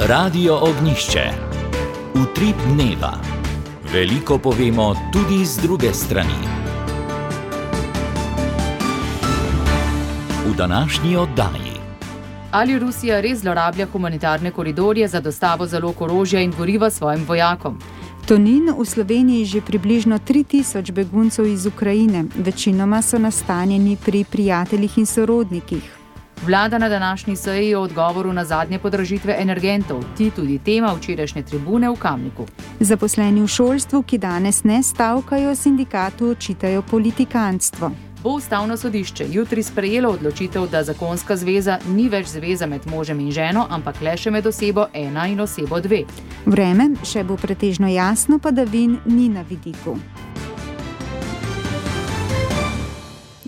Radio Ognjišče. Utrip dneva. Veliko povemo tudi z druge strani. V današnji oddaji. Ali Rusija res zlorablja humanitarne koridorje za dostavo zalog orožja in goriva svojim vojakom? Tonin, v Sloveniji že približno 3000 beguncev iz Ukrajine. Večinoma so nastanjeni pri prijateljih in sorodnikih. Vlada na današnji seji o odgovoru na zadnje podražitve energentov, tudi tema včerajšnje tribune v Kamniku. Zaposleni v šolstvu, ki danes ne stavkajo, sindikatu očitajo politikantstvo. Bo ustavno sodišče jutri sprejelo odločitev, da zakonska zveza ni več zveza med možem in ženo, ampak le še med osebo 1 in osebo 2. Vreme še bo pretežno jasno, padavin ni na vidiku.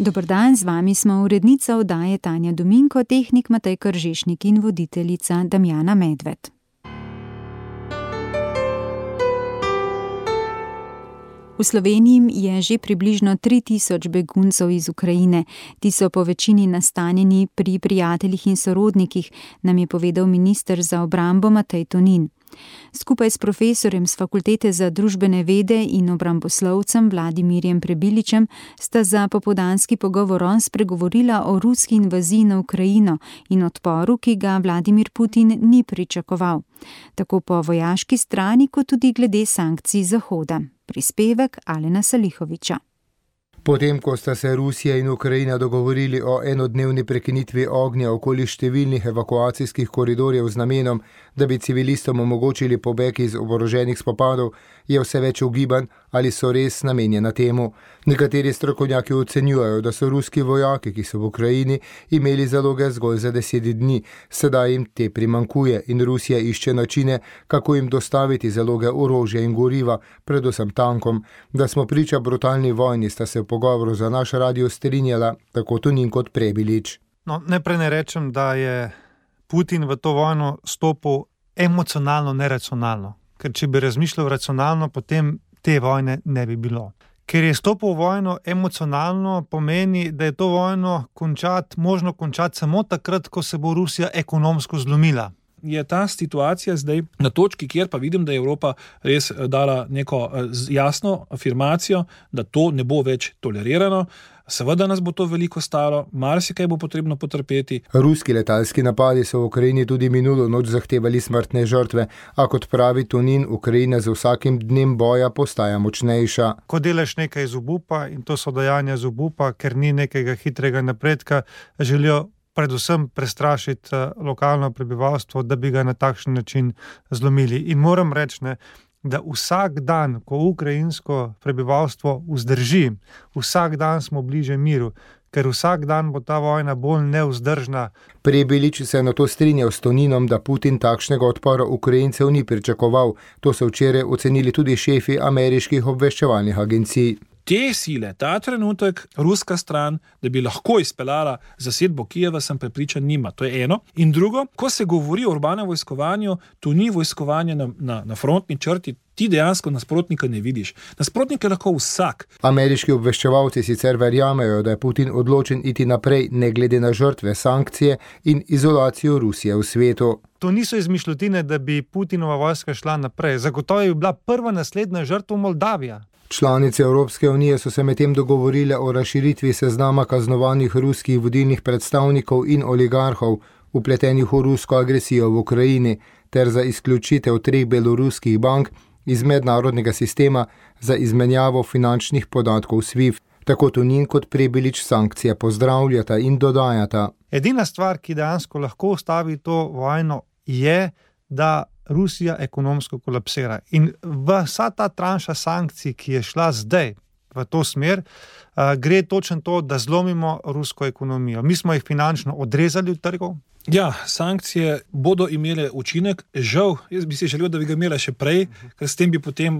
Dober dan, z vami smo urednica oddaje Tanja Dominko, tehnik Matej Kržišnik in voditeljica Damjana Medved. V Sloveniji je že približno 3000 beguncev iz Ukrajine. Ti so po večini nastanjeni pri prijateljih in sorodnikih, nam je povedal minister za obrambo Matej Tonin. Skupaj s profesorjem z Fakultete za družbene vede in obramboslovcem Vladimirjem Prebiličem sta za popoldanski pogovor spregovorila o ruski invaziji na Ukrajino in odporu, ki ga Vladimir Putin ni pričakoval. Tako po vojaški strani, kot tudi glede sankcij Zahoda. Prispevek Alena Salihoviča. Potem, ko sta se Rusija in Ukrajina dogovorili o enodnevni prekinitvi ognja okoli številnih evakuacijskih koridorjev z namenom, da bi civilistom omogočili pobeg iz oboroženih spopadov, je vse več ugibanj, ali so res namenjena temu. Nekateri strokovnjaki ocenjujejo, da so ruski vojaki, ki so v Ukrajini, imeli zaloge zgolj za 10 dni. Sedaj jim te primanjkuje in Rusija išče načine, kako jim dostaviti zaloge orožja in goriva, predvsem tankom. Da smo priča brutalni vojni, sta se v pogovoru za naš radio strinjala tako Tonin kot Prebilič. Najprej ne rečem, da je Putin v to vojno stopil emocionalno, neracionalno. Ker če bi razmišljal racionalno, potem te vojne ne bi bilo. Ker je stopil v vojno emocionalno, pomeni, da je to vojno možno končati samo takrat, ko se bo Rusija ekonomsko zlomila. Je ta situacija zdaj na točki, kjer pa vidim, da je Evropa res dala neko jasno afirmacijo, da to ne bo več tolerirano. Seveda nas bo to veliko stalo, marsikaj bo potrebno potrpeti. Ruski letalski napadi so v Ukrajini tudi minulo noč zahtevali smrtne žrtve, a kot pravi Tonin, Ukrajina z vsakim dnem boja postaja močnejša. Ko delaš nekaj iz obupa, in to so dejanja iz obupa, ker ni nekega hitrega napredka, želijo predvsem prestrašiti lokalno prebivalstvo, da bi ga na takšen način zlomili. In moram reči, da vsak dan, ko ukrajinsko prebivalstvo vzdrži, vsak dan smo bliže miru, ker vsak dan bo ta vojna bolj nevzdržna. Prebilič se je na to strinjal s Toninom, da Putin takšnega odpora Ukrajincev ni pričakoval. To so včeraj ocenili tudi šefi ameriških obveščevalnih agencij. Te sile, ta trenutek, ruska stran, da bi lahko izpeljala zasedbo Kijeva, sem prepričan, nima. To je eno. In drugo, ko se govori o urbanem vojskovanju, to ni vojskovanje na frontni črti, ti dejansko nasprotnika ne vidiš. Nasprotnik je lahko vsak. Ameriški obveščevalci sicer verjamejo, da je Putin odločen iti naprej, ne glede na žrtve, sankcije in izolacijo Rusije v svetu. To niso izmišljotine, da bi Putinova vojska šla naprej. Zagotovo je bila prva naslednja žrtva Moldavija. Članice Evropske unije so se medtem dogovorile o razširitvi seznama kaznovanih ruskih vodilnih predstavnikov in oligarhov, vpletenih v rusko agresijo v Ukrajini, ter za izključitev 3 beloruskih bank iz mednarodnega sistema za izmenjavo finančnih podatkov SWIFT. Tako Tonin kot Prebilič sankcije pozdravljata in dodajata. Edina stvar, ki dejansko lahko ustavi to vojno, je, da Rusija ekonomsko kolapsira. In vsa ta tranša sankcij, ki je šla zdaj v to smer, gre točno to, da zlomimo rusko ekonomijo. Mi smo jih finančno odrezali od trgov. Ja, sankcije bodo imele učinek. Žal, jaz bi si želel, da bi ga imela še prej, ker s tem bi potem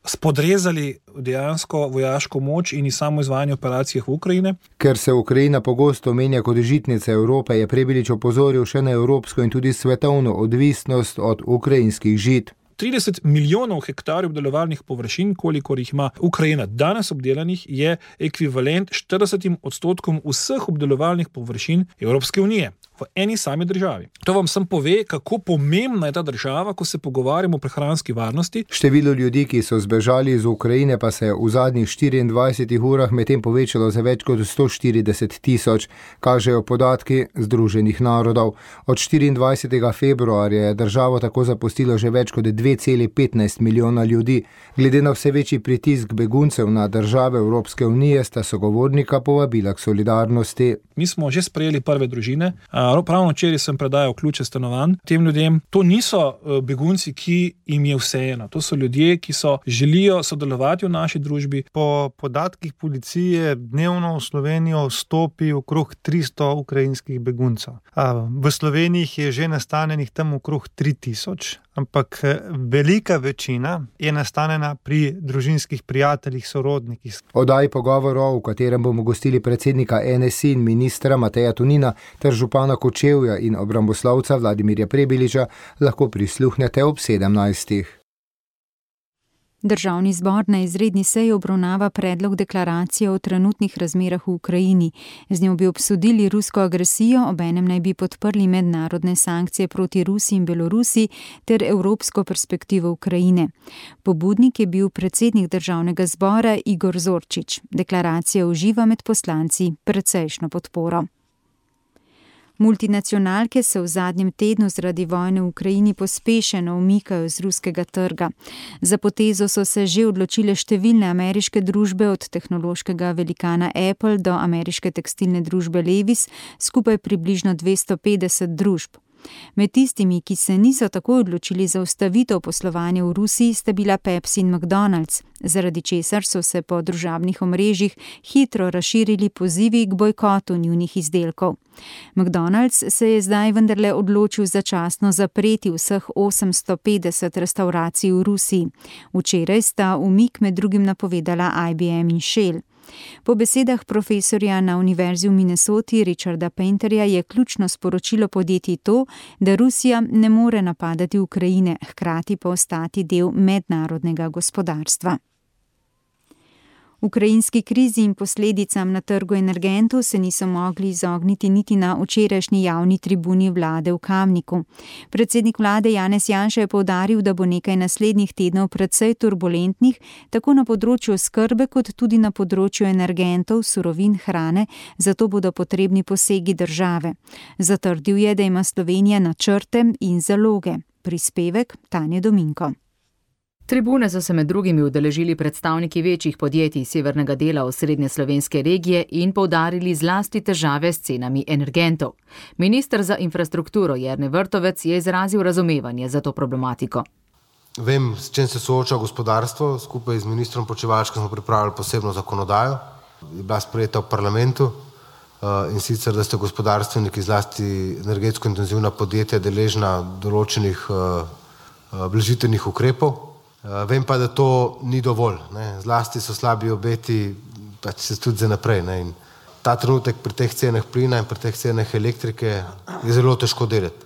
spodrezali dejansko vojaško moč in samo izvajanje operacijah v Ukrajine. Ker se Ukrajina pogosto omenja kot žitnica Evrope, je Prebilič opozoril še na evropsko in tudi svetovno odvisnost od ukrajinskih žit. 30 milijonov hektarjev obdelovalnih površin, kolikor jih ima Ukrajina danes obdelanih, je ekvivalent 40% vseh obdelovalnih površin Evropske unije. v eni sami državi. To vam sem pove, kako pomembna je ta država, ko se pogovarjamo o prehranski varnosti. Število ljudi, ki so zbežali iz Ukrajine, pa se je v zadnjih 24 urah medtem povečalo za več kot 140 tisoč, kažejo podatki Združenih narodov. Od 24. februarja je državo tako zapustilo že več kot 2,15 milijona ljudi. Glede na vse večji pritisk beguncev na države Evropske unije sta sogovornika povabila k solidarnosti. Mi smo že sprejeli prve družine. Pravno včeraj sem predajal ključe stanovanj tem ljudem. To niso begunci, ki jim je vseeno. To so ljudje, ki želijo sodelovati v naši družbi. Po podatkih policije dnevno v Slovenijo vstopi okrog 300 ukrajinskih beguncev. V Sloveniji je že nastanjenih tam okrog 3000, ampak velika večina je nastanjena pri družinskih prijateljih, sorodnikih. Oddaji pogovorov, v katerem bomo gostili predsednika NSI in ministra Mateja Tonina ter župana Kočevja in obramboslovca Vladimirja Prebiliča, lahko prisluhnete ob 17. Državni zbor na izredni seji obravnava predlog deklaracije o trenutnih razmerah v Ukrajini. Z njo bi obsodili rusko agresijo, obenem naj bi podprli mednarodne sankcije proti Rusiji in Belorusiji ter evropsko perspektivo Ukrajine. Pobudnik je bil predsednik državnega zbora Igor Zorčič. Deklaracija uživa med poslanci precejšnjo podporo. Multinacionalke se v zadnjem tednu zaradi vojne v Ukrajini pospešeno umikajo z ruskega trga. Za potezo so se že odločile številne ameriške družbe, od tehnološkega velikana Apple do ameriške tekstilne družbe Levi's, skupaj približno 250 družb. Med tistimi, ki se niso takoj odločili za ustavitev poslovanja v Rusiji, sta bila Pepsi in McDonald's, zaradi česar so se po družabnih omrežjih hitro razširili pozivi k bojkotu njunih izdelkov. McDonald's se je zdaj vendarle odločil začasno zapreti vseh 850 restavracij v Rusiji. Včeraj sta umik med drugim napovedala IBM in Shell. Po besedah profesorja na Univerzi v Minnesoti Richarda Painterja je ključno sporočilo podjetij to, da Rusija ne more napadati Ukrajine, hkrati pa ostati del mednarodnega gospodarstva. Ukrajinski krizi in posledicam na trgu energentov se niso mogli izogniti niti na včerajšnji javni tribuni vlade v Kamniku. Predsednik vlade Janez Janša je poudaril, da bo nekaj naslednjih tednov precej turbulentnih, tako na področju oskrbe kot tudi na področju energentov, surovin, hrane, zato bodo potrebni posegi države. Zatrdil je, da ima Slovenija načrte in zaloge. Prispevek Tanje Dominko. Tribune so se med drugimi udeležili predstavniki večjih podjetij severnega dela osrednje slovenske regije in poudarili zlasti težave s cenami energentov. Minister za infrastrukturo Jernej Vrtovec je izrazil razumevanje za to problematiko. Vem, s čim se sooča gospodarstvo. Skupaj z ministrom Počivalškom smo pripravili posebno zakonodajo. Je bila sprejeta v parlamentu in sicer, da ste gospodarstveniki, zlasti energetsko intenzivna podjetja, deležna določenih blažitvenih ukrepov. Vem pa, da to ni dovolj. Zlasti so slabi obeti, pač se tudi za naprej. In ta trenutek pri teh cenah plina in pri teh cenah elektrike je zelo težko delati.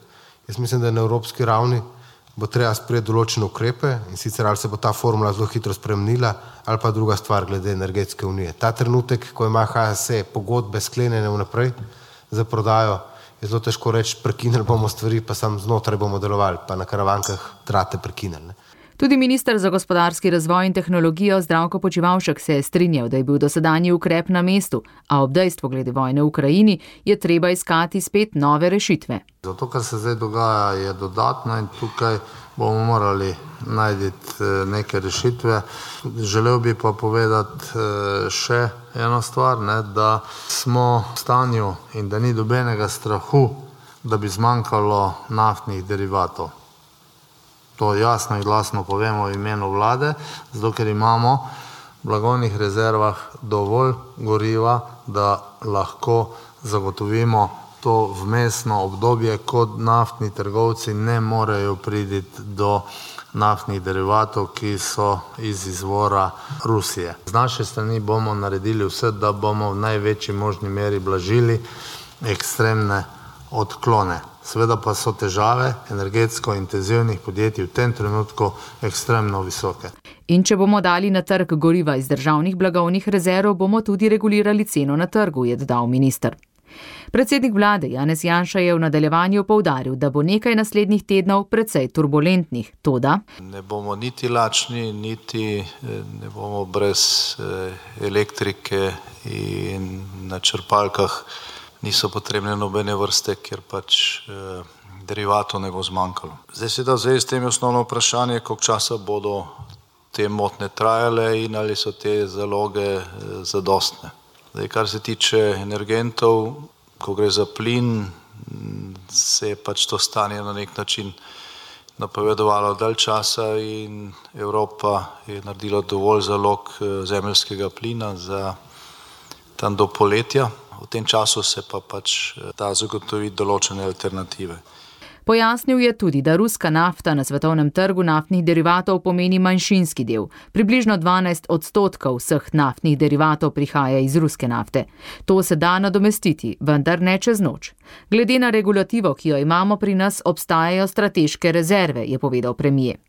Jaz mislim, da na evropski ravni bo treba sprejeti določene ukrepe in sicer ali se bo ta formula zelo hitro spremenila ali pa druga stvar glede energetske unije. Ta trenutek, ko ima HSE pogodbe sklenjene vnaprej za prodajo, je zelo težko reči, prekinili bomo stvari, pa sam znotraj bomo delovali, pa na karavankah trate prekinili. Tudi minister za gospodarski razvoj in tehnologijo Zdravko Počivalšek se je strinjal, da je bil dosedanji ukrep na mestu, a ob dejstvu glede vojne v Ukrajini je treba iskati spet nove rešitve. Zato, kar se zdaj dogaja, je dodatno in tukaj bomo morali najti neke rešitve. Želel bi pa povedati še eno stvar, da smo v stanju in da ni dobenega strahu, da bi zmanjkalo naftnih derivatov. To jasno in glasno povemo v imenu vlade, zato ker imamo v blagovnih rezervah dovolj goriva, da lahko zagotovimo to vmesno obdobje, ko naftni trgovci ne morejo priti do naftnih derivatov, ki so iz izvora Rusije. Z naše strani bomo naredili vse, da bomo v največji možni meri blažili ekstremne odklone. Seveda pa so težave energetsko intenzivnih podjetij v tem trenutku ekstremno visoke. In če bomo dali na trg goriva iz državnih blagovnih rezerv, bomo tudi regulirali ceno na trgu, je dodal minister. Predsednik vlade Janez Janša je v nadaljevanju poudaril, da bo nekaj naslednjih tednov precej turbulentnih. Toda ne bomo niti lačni, niti ne bomo brez elektrike in na črpalkah niso potrebne nobene vrste, ker pač derivatov ne bo zmanjkalo. Zdaj se da z tem je osnovno vprašanje, koliko časa bodo te motnje trajale in ali so te zaloge zadostne. Zdaj, kar se tiče energentov, ko gre za plin, se je pač to stanje na nek način napovedovalo dalj časa in Evropa je naredila dovolj zalog zemeljskega plina za tam do poletja. V tem času se pa pač da zagotoviti določene alternative. Pojasnil je tudi, da ruska nafta na svetovnem trgu naftnih derivatov pomeni manjšinski del. Približno 12% vseh naftnih derivatov prihaja iz ruske nafte. To se da nadomestiti, vendar ne čez noč. Glede na regulativo, ki jo imamo pri nas, obstajajo strateške rezerve, je povedal premier.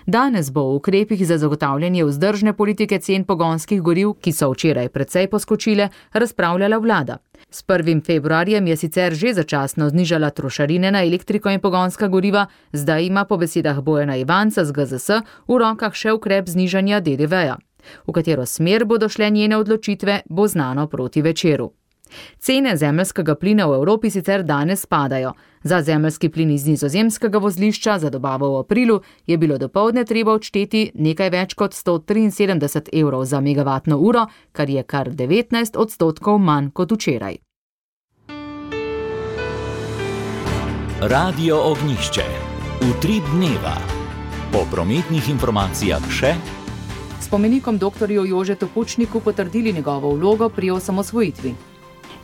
Danes bo v ukrepih za zagotavljanje vzdržne politike cen pogonskih goriv, ki so včeraj precej poskočile, razpravljala vlada. S 1. februarjem je sicer že začasno znižala trošarine na elektriko in pogonska goriva, zdaj ima po besedah Bojana Ivanca z GZS v rokah še ukrep znižanja DDV-ja. V katero smer bodo šle njene odločitve, bo znano proti večeru. Cene zemeljskega plina v Evropi sicer danes padajo. Za zemeljski plin iz nizozemskega vozlišča za dobavo v aprilu je bilo dopoldne treba odšteti nekaj več kot 173 evrov za megavatno uro, kar je kar 19% manj kot včeraj. Radio Ognjišče. Utrip dneva. Po prometnih informacijah še Spomenikom doktorju Jožetu Pučniku potrdili njegovo vlogo pri osamosvojitvi.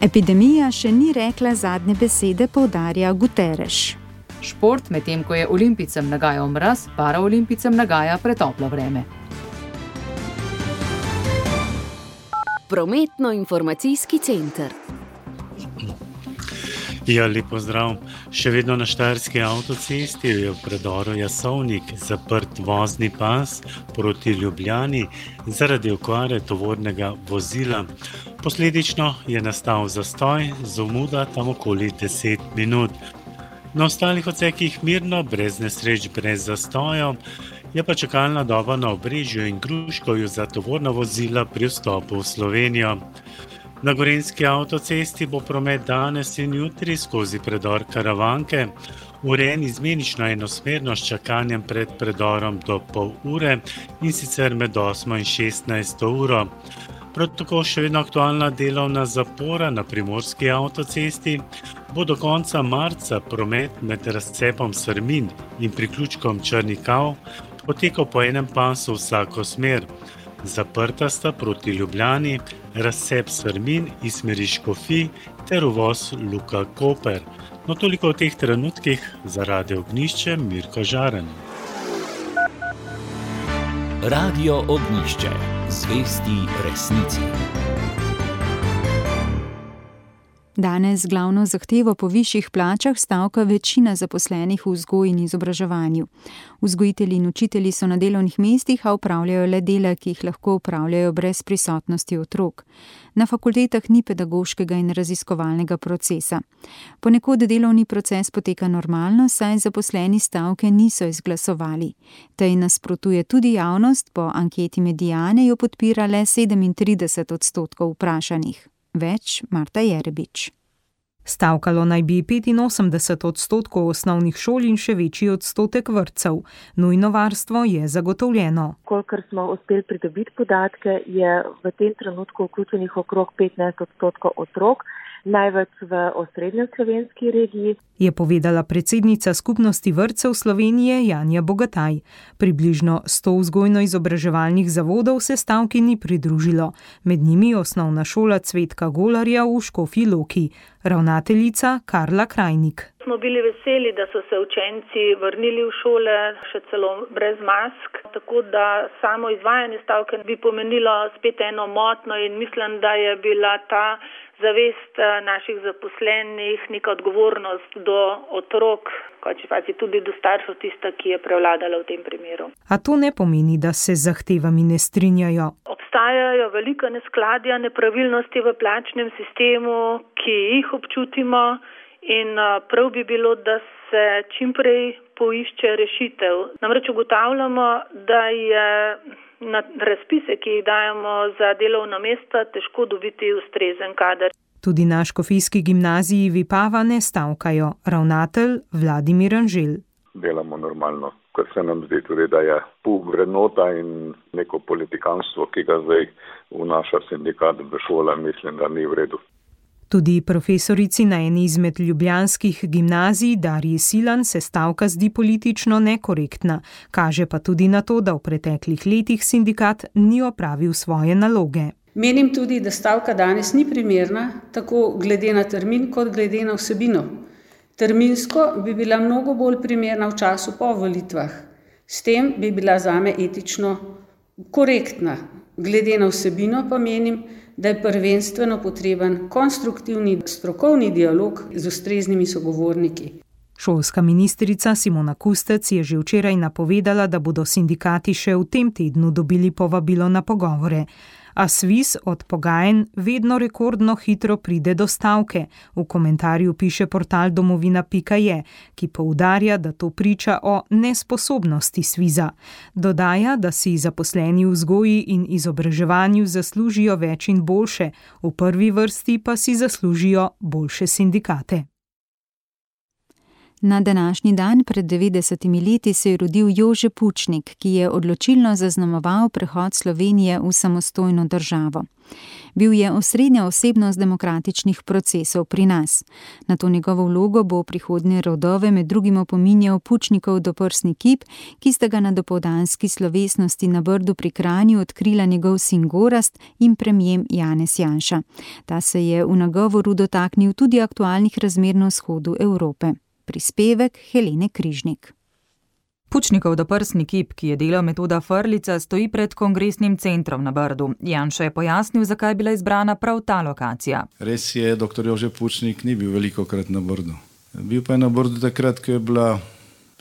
Epidemija še ni rekla zadnje besede, poudarja Guterres. Šport, medtem ko je olimpijcem nagajal mraz, paraolimpijcem nagaja pretoplo vreme. Prometno-informacijski center. Ja, lep pozdrav. Še vedno na Štajerski avtocesti je v predoru Jasovnik zaprt vozni pas proti Ljubljani zaradi okvare tovornega vozila. Posledično je nastal zastoj, zamuda tam okoli 10 minut. Na ostalih odsekih mirno, brez nesreč, brez zastojev, je pa čakalna doba na Obrežju in Gruškovju za tovorna vozila pri vstopu v Slovenijo. Na Gorenjski avtocesti bo promet danes in jutri skozi predor Karavanke urejen izmenično enosmerno s čakanjem pred predorom do pol ure in sicer med 8 in 16 uro. Prav tako še vedno aktualna delovna zapora na Primorski avtocesti bo do konca marca promet med razcepom Srmin in priključkom Črni Kav potekal po enem pasu vsako smer. Zaprta sta proti Ljubljani, razcep Srmin iz smeri Škofij ter uvoz Luka Koper. No, toliko v teh trenutkih za Radio Ognjišče, Mirko Žaren. Radio Ognjišče. Zvesti resnici. Danes glavno zahtevo po višjih plačah stavka večina zaposlenih v vzgoji in izobraževanju. Vzgojitelji in učitelji so na delovnih mestih, a opravljajo le dela, ki jih lahko opravljajo brez prisotnosti otrok. Na fakultetah ni pedagoškega in raziskovalnega procesa. Ponekod delovni proces poteka normalno, saj zaposleni stavke niso izglasovali. Tej nasprotuje tudi javnost, po anketi Mediane jo podpira le 37% vprašanih. Več Marta Jerebič. Stavkalo naj bi 85% osnovnih šol in še večji odstotek vrtcev. Nujno varstvo je zagotovljeno. Kolikor smo uspeli pridobiti podatke, je v tem trenutku vključenih okrog 15% otrok, največ v osrednjo slovenski regiji. Je povedala predsednica Skupnosti vrtcev Slovenije Janja Bogataj. Približno 100 vzgojno-izobraževalnih zavodov se stavki ni pridružilo. Med njimi osnovna šola Cvetka Golarja v Škofji Loki. Ravnateljica Karla Krajnik. Smo bili veseli, da so se učenci vrnili v šole, še celo brez mask, tako da samo izvajanje stavke bi pomenilo spet eno motno in mislim, da je bila ta zavest naših zaposlenih, neka odgovornost do otrok, tudi do staršev, tista, ki je prevladala v tem primeru. A to ne pomeni, da se z zahtevami ne strinjajo. Obstajajo velika neskladja, nepravilnosti v plačnem sistemu, ki jih občutimo in prav bi bilo, da se čimprej poišče rešitev. Namreč ugotavljamo, da je na razpise, ki jih dajemo za delovna mesta, težko dobiti ustrezen kader. Tudi na škofijski gimnaziji Vipava ne stavkajo. Ravnatelj Vladimir Anžel. Delamo normalno, ker se nam zdi tudi, da je vrednota in neko politikanstvo, ki ga zdaj vnaša sindikat v šole, mislim, da ni v redu. Tudi profesorici na eni izmed ljubljanskih gimnazij Darji Silan se stavka zdi politično nekorektna. Kaže pa tudi na to, da v preteklih letih sindikat ni opravil svoje naloge. Menim tudi, da stavka danes ni primerna, tako glede na termin kot glede na vsebino. Terminsko bi bila mnogo bolj primerna v času po volitvah. S tem bi bila zame etično korektna. Glede na vsebino pa menim, da je prvenstveno potreben konstruktivni strokovni dialog z ustreznimi sogovorniki. Šolska ministrica Simona Kustec je že včeraj napovedala, da bodo sindikati še v tem tednu dobili povabilo na pogovore. A SVIZ od pogajanj vedno rekordno hitro pride do stavke. V komentarju piše portal domovina.je, ki poudarja, da to priča o nesposobnosti SVIZ-a. Dodaja, da si zaposleni v vzgoji in izobraževanju zaslužijo več in boljše, v prvi vrsti pa si zaslužijo boljše sindikate. Na današnji dan pred 90 leti se je rodil Jože Pučnik, ki je odločilno zaznamoval prehod Slovenije v samostojno državo. Bil je osrednja osebnost demokratičnih procesov pri nas. Na to njegovo vlogo bo prihodnje rodove med drugim opominjal Pučnikov doprsni kip, ki sta ga na dopoldanski slovesnosti na Brdu pri Kranju odkrila njegov sin Gorazd in premijer Janez Janša. Ta se je v nagovoru dotaknil tudi aktualnih razmer na vzhodu Evrope. Prispevek Helene Križnik. Pučnikov doprsni kip, ki je delal metoda Frljica, stoji pred kongresnim centrom na Brdu. Janša je pojasnil, zakaj je bila izbrana prav ta lokacija. Res je, dr. Jože Pučnik ni bil velikokrat na Brdu. Bil pa je na Brdu takrat, ko je bila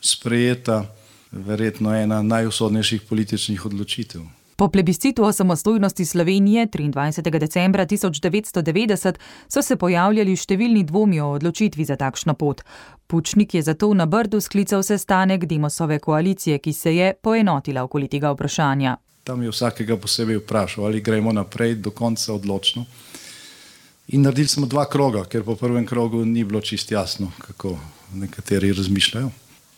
sprejeta verjetno ena najusodnejših političnih odločitev. Po plebiscitu o samostojnosti Slovenije 23. decembra 1990 so se pojavljali številni dvomi o odločitvi za takšno pot. Pučnik je zato na Brdu sklical sestanek Demosove koalicije, ki se je poenotila okoli tega vprašanja. Tam je vsakega posebej vprašal, ali gremo naprej do konca odločno. In naredili smo 2 kroga, ker po prvem krogu ni bilo čisto jasno, kako nekateri razmišljajo.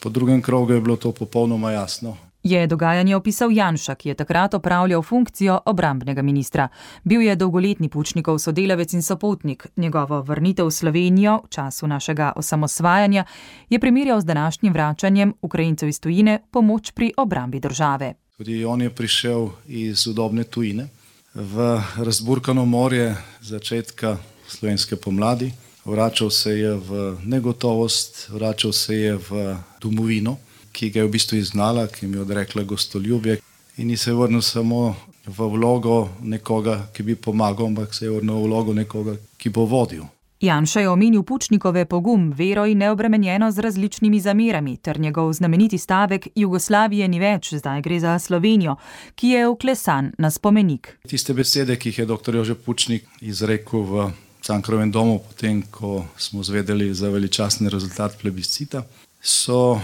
Po drugem krogu je bilo to popolnoma jasno. Je dogajanje opisal Janša, ki je takrat opravljal funkcijo obrambnega ministra. Bil je dolgoletni Pučnikov sodelavec in sopotnik. Njegovo vrnitev v Slovenijo v času našega osamosvajanja je primerjal z današnjim vračanjem Ukrajincev iz tujine pomoč pri obrambi države. Tudi on je prišel iz udobne tujine v razburkano morje začetka slovenske pomladi. Vračal se je v negotovost, vračal se je v domovino, ki ga je v bistvu izgnala, ki mi je odrekla gostoljubje in ni se vrnil samo v vlogo nekoga, ki bi pomagal, ampak se je vrnil v vlogo nekoga, ki bo vodil. Janša je omenil Pučnikove pogum, vero in neobremenjeno z različnimi zamerami ter njegov znameniti stavek Jugoslavije ni več, zdaj gre za Slovenijo, ki je vklesan na spomenik. Tiste besede, ki jih je dr. Jože Pučnik izrekel v Cankarjevem domu, potem ko smo zvedeli za veličastni rezultat plebiscita, so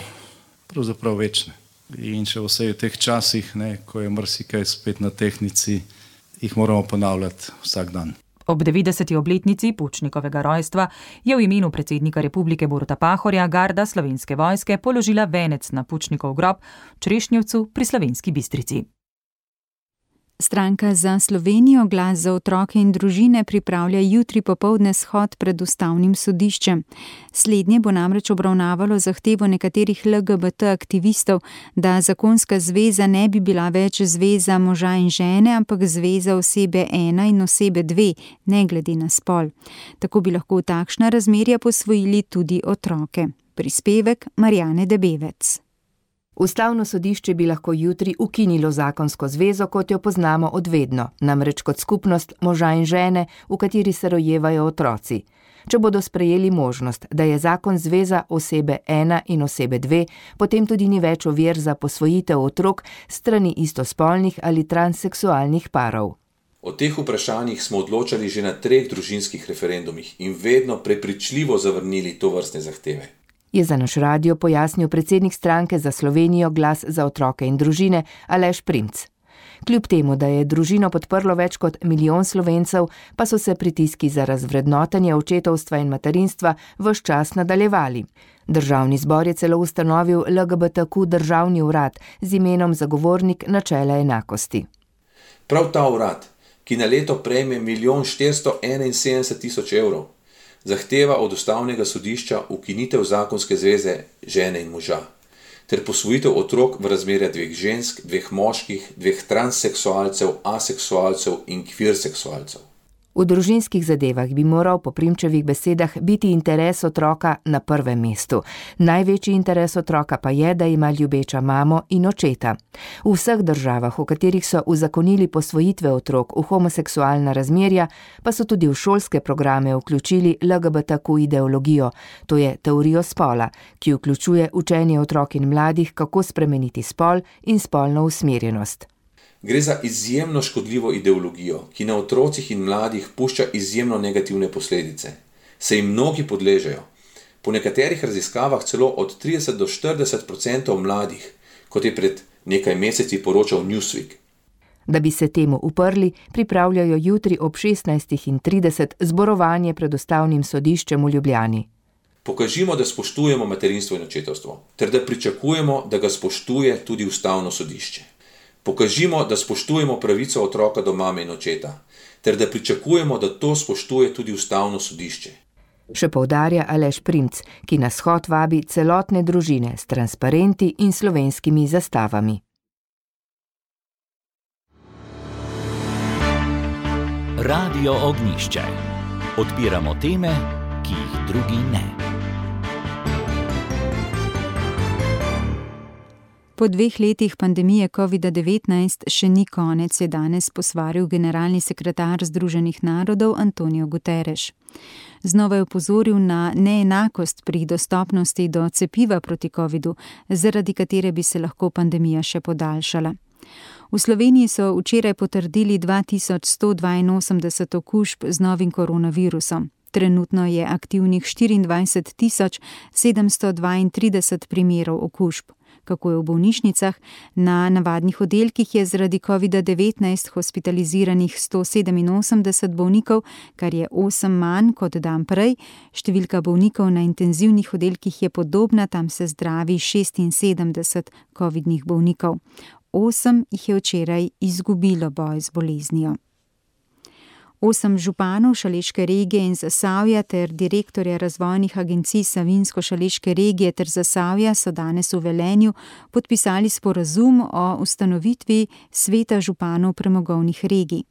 pravzaprav večne. In še vse v teh časih, ko je marsikaj spet na tehnici, jih moramo ponavljati vsak dan. Ob 90. obletnici Pučnikovega rojstva je v imenu predsednika Republike Boruta Pahorja garda Slovenske vojske položila venec na Pučnikov grob v Črešnjevcu pri Slovenski Bistrici. Stranka za Slovenijo Glas za otroke in družine pripravlja jutri popoldne shod pred ustavnim sodiščem. Slednje bo namreč obravnavalo zahtevo nekaterih LGBT aktivistov, da zakonska zveza ne bi bila več zveza moža in žene, ampak zveza osebe 1 in osebe 2, ne glede na spol. Tako bi lahko v takšna razmerja posvojili tudi otroke. Prispevek Marjane Debevec. Ustavno sodišče bi lahko jutri ukinilo zakonsko zvezo, kot jo poznamo od vedno, namreč kot skupnost moža in žene, v kateri se rojevajo otroci. Če bodo sprejeli možnost, da je zakon zveza osebe 1 in osebe 2, potem tudi ni več ovir za posvojitev otrok strani istospolnih ali transseksualnih parov. O teh vprašanjih smo odločali že na 3 družinskih referendumih in vedno prepričljivo zavrnili tovrstne zahteve. Je za naš radio pojasnil predsednik stranke Za Slovenijo Glas za otroke in družine Aleš Primc. Kljub temu, da je družino podprlo več kot 1 milijon Slovencev, pa so se pritiski za razvrednotenje očetovstva in materinstva ves čas nadaljevali. Državni zbor je celo ustanovil LGBTQ državni urad z imenom Zagovornik načela enakosti. Prav ta urad, ki na leto prejme 1.471.000 evrov, zahteva od Ustavnega sodišča ukinitev zakonske zveze žene in moža ter posvojitev otrok v razmerju 2 žensk, 2 moških, 2 transseksualcev, aseksualcev in kvir-seksualcev. V družinskih zadevah bi moral po Primčevih besedah biti interes otroka na prvem mestu. Največji interes otroka pa je, da ima ljubeča mamo in očeta. V vseh državah, v katerih so uzakonili posvojitve otrok v homoseksualna razmerja, pa so tudi v šolske programe vključili LGBTQ ideologijo, to je teorijo spola, ki vključuje učenje otrok in mladih, kako spremeniti spol in spolno usmerjenost. Gre za izjemno škodljivo ideologijo, ki na otrocih in mladih pušča izjemno negativne posledice. Se jim mnogi podležejo. Po nekaterih raziskavah celo od 30 do 40% mladih, kot je pred nekaj meseci poročal Newsweek. Da bi se temu uprli, pripravljajo jutri ob 16:30 zborovanje pred Ustavnim sodiščem v Ljubljani. Pokažimo, da spoštujemo materinstvo in očetovstvo, ter da pričakujemo, da ga spoštuje tudi Ustavno sodišče. Pokažimo, da spoštujemo pravico otroka do mame in očeta, ter da pričakujemo, da to spoštuje tudi Ustavno sodišče. Še poudarja Aleš Primc, ki na shod vabi celotne družine s transparenti in slovenskimi zastavami. Radio Ognjišče. Odpiramo teme, ki jih drugi ne. Po 2 letih pandemije COVID-19 še ni konec, je danes posvaril generalni sekretar Združenih narodov Antonio Guterres. Znova je opozoril na neenakost pri dostopnosti do cepiva proti covidu, zaradi katere bi se lahko pandemija še podaljšala. V Sloveniji so včeraj potrdili 2182 okužb z novim koronavirusom. Trenutno je aktivnih 24.732 primerov okužb. Kako je v bolnišnicah? Na navadnih oddelkih je zaradi COVID-19 hospitaliziranih 187 bolnikov, kar je 8 manj kot dan prej. Številka bolnikov na intenzivnih oddelkih je podobna, tam se zdravi 76 covidnih bolnikov. 8 jih je včeraj izgubilo boj z boleznijo. 8 županov Šaleške regije in Zasavja ter direktorja razvojnih agencij Savinjsko-Šaleške regije ter Zasavja so danes v Velenju podpisali sporazum o ustanovitvi sveta županov premogovnih regij.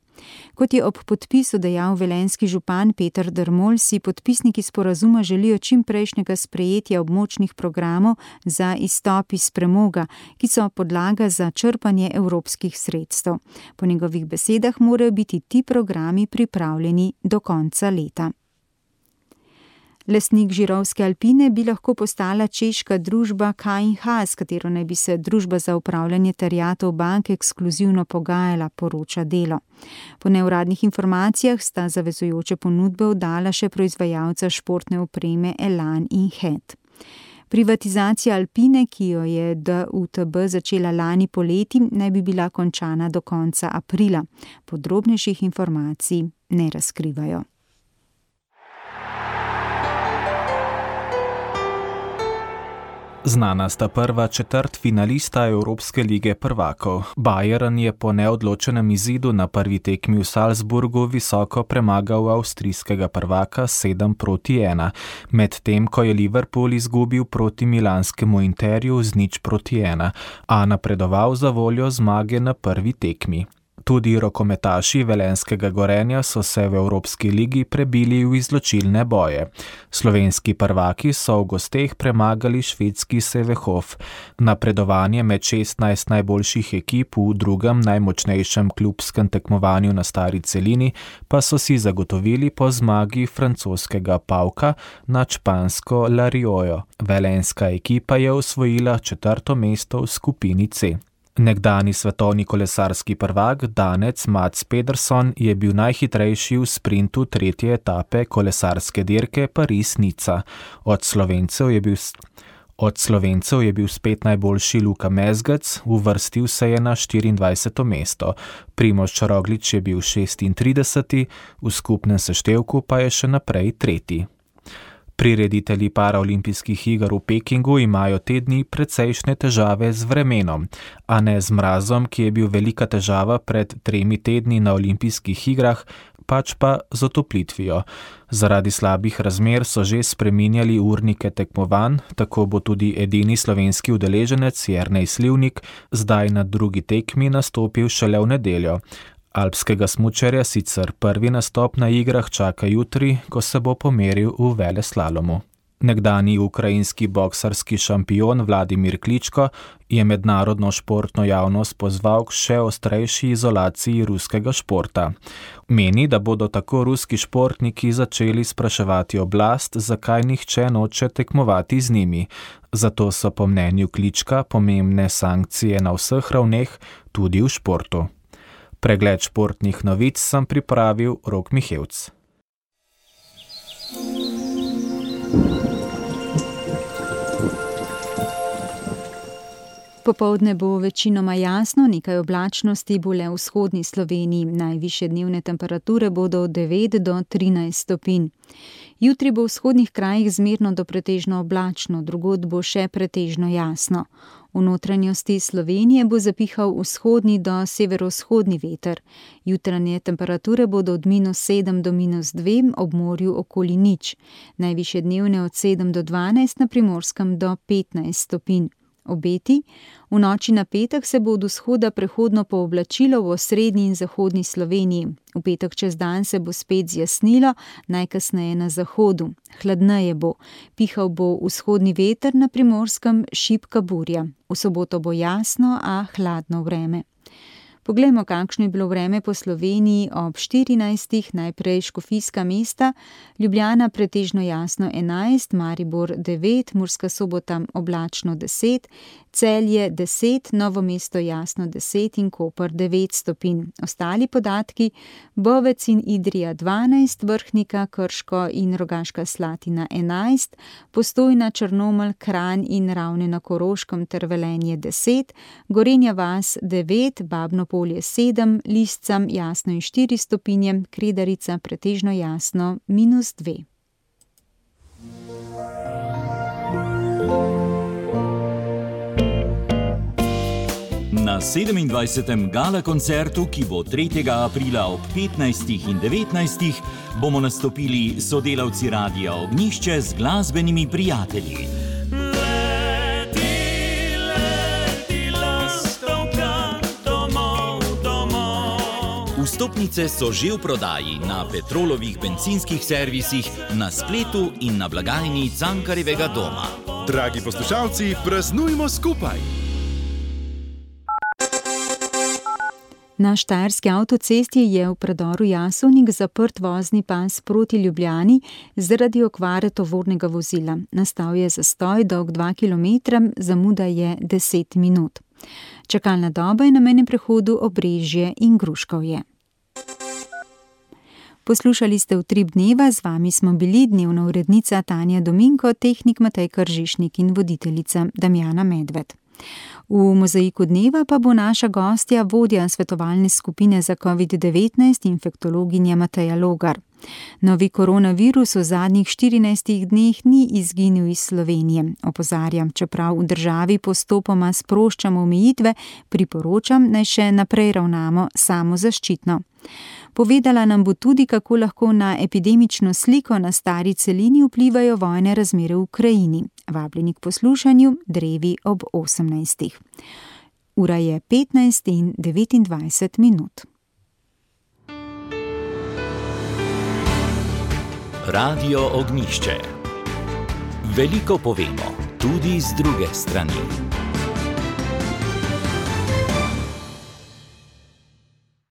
Kot je ob podpisu dejal velenjski župan Peter Dermol, si podpisniki sporazuma želijo čimprejšnjega sprejetja območnih programov za izstop iz premoga, ki so podlaga za črpanje evropskih sredstev. Po njegovih besedah morajo biti ti programi pripravljeni do konca leta. Lastnik Žirovske Alpine bi lahko postala češka družba K&H, s katero naj bi se družba za upravljanje terjatev bank ekskluzivno pogajala, poroča Delo. Po neuradnih informacijah sta zavezujoče ponudbe oddala še proizvajalca športne opreme Elan in Het. Privatizacija Alpine, ki jo je DUTB začela lani poleti, naj bi bila končana do konca aprila. Podrobnejših informacij ne razkrivajo. Znana sta prva četrtfinalista Evropske lige prvakov. Bayern je po neodločenem izidu na prvi tekmi v Salzburgu visoko premagal avstrijskega prvaka 7-1, medtem ko je Liverpool izgubil proti milanskemu Interju z 0-1, a napredoval za voljo zmage na prvi tekmi. Tudi rokometaši velenjskega Gorenja so se v Evropski ligi prebili v izločilne boje. Slovenski prvaki so v gosteh premagali švedski Sävehof. Napredovanje med 16 najboljših ekip v drugem najmočnejšem klubskem tekmovanju na stari celini pa so si zagotovili po zmagi francoskega Pauka nad špansko La Riojo. Velenjska ekipa je osvojila 4. mesto v skupini C. Nekdani svetovni kolesarski prvak Danec Mats Pedersen je bil najhitrejši v sprintu 3. etape kolesarske dirke Paris-Nica. Od Slovencev je bil spet najboljši Luka Mezgec, uvrstil se je na 24. mesto. Primož Roglič je bil 36., v skupnem seštevku pa je še naprej 3. Prireditelji paraolimpijskih iger v Pekingu imajo te dni precejšnje težave z vremenom, a ne z mrazom, ki je bil velika težava pred 3 tedni na olimpijskih igrah, pač pa z otoplitvijo. Zaradi slabih razmer so že spreminjali urnike tekmovanj, tako bo tudi edini slovenski udeleženec Jernej Slivnik zdaj na drugi tekmi nastopil šele v nedeljo. Alpskega smučarja sicer prvi nastop na igrah čaka jutri, ko se bo pomeril v veleslalomu. Nekdani ukrajinski boksarski šampion Vladimir Kličko je mednarodno športno javnost pozval k še ostrejši izolaciji ruskega športa. Meni, da bodo tako ruski športniki začeli spraševati oblast, zakaj nihče noče tekmovati z njimi. Zato so po mnenju Klička pomembne sankcije na vseh ravneh, tudi v športu. Pregled športnih novic sem pripravil Rok Mihevc. Popoldne bo večinoma jasno, nekaj oblačnosti bo le v vzhodni Sloveniji. Najvišje dnevne temperature bodo od 9 do 13 stopinj. Jutri bo v vzhodnih krajih zmerno do pretežno oblačno, drugod bo še pretežno jasno. V notranjosti Slovenije bo zapihal vzhodni do severovzhodni veter. Jutranje temperature bodo od -7 do -2, ob morju okoli 0. Najvišje dnevne od 7 do 12, na Primorskem do 15 stopinj. Obeti. V noči na petek se bo od vzhoda prehodno pooblačilo v osrednji in zahodni Sloveniji. V petek čez dan se bo spet zjasnilo, najkasneje na zahodu. Hladneje bo. Pihal bo vzhodni veter, na Primorskem šibka burja. V soboto bo jasno, a hladno vreme. Poglejmo, kakšno je bilo vreme po Sloveniji ob 14. Najprej Škofijska Mesta, Ljubljana pretežno jasno 11, Maribor 9, Murska Sobota oblačno 10, Celje 10, Novo mesto jasno 10 in Koper 9 stopinj. Ostali podatki: Bovec in Idrija 12, Vrhnika, Krško in Rogaška Slatina 11, Postojna, Črnomelj, Kranj in Ravne na Koroškem ter Velenje 10, Gorenja vas 9, Babno Polje 7, Liscam jasno in 4 stopinje, Kredarica pretežno jasno -2. Na 27. gala koncertu, ki bo 3. aprila ob 15. in 19. bomo nastopili sodelavci Radia Ognjišče z glasbenimi prijatelji. Vstopnice so že v prodaji na Petrolovih bencinskih servisih, na spletu in na blagajni Cankarjevega doma. Dragi poslušalci, praznujmo skupaj! Na štajerski avtocesti je v predoru Jasovnik zaprt vozni pas proti Ljubljani zaradi okvare tovornega vozila. Nastal je zastoj dolg 2 km, zamuda je 10 minut. Čakalna doba je na mejnem prehodu Obrežje in Gruškovje. Poslušali ste Utrip dneva, z vami smo bili dnevna urednica Tanja Dominko, tehnik Matej Kržišnik in voditeljica Damjana Medved. V mozaiku dneva pa bo naša gostja vodja svetovalne skupine za COVID-19 infektologinja Mateja Logar. Novi koronavirus v zadnjih 14 dneh ni izginil iz Slovenije. Opozarjam, čeprav v državi postopoma sproščamo omejitve, priporočam, naj še naprej ravnamo samozaščitno. Povedala nam bo tudi, kako lahko na epidemično sliko na stari celini vplivajo vojne razmere v Ukrajini. Vabljeni k poslušanju drevi ob 18. Ura je 15:29. Radio Ognjišče. Veliko povemo, tudi z druge strani.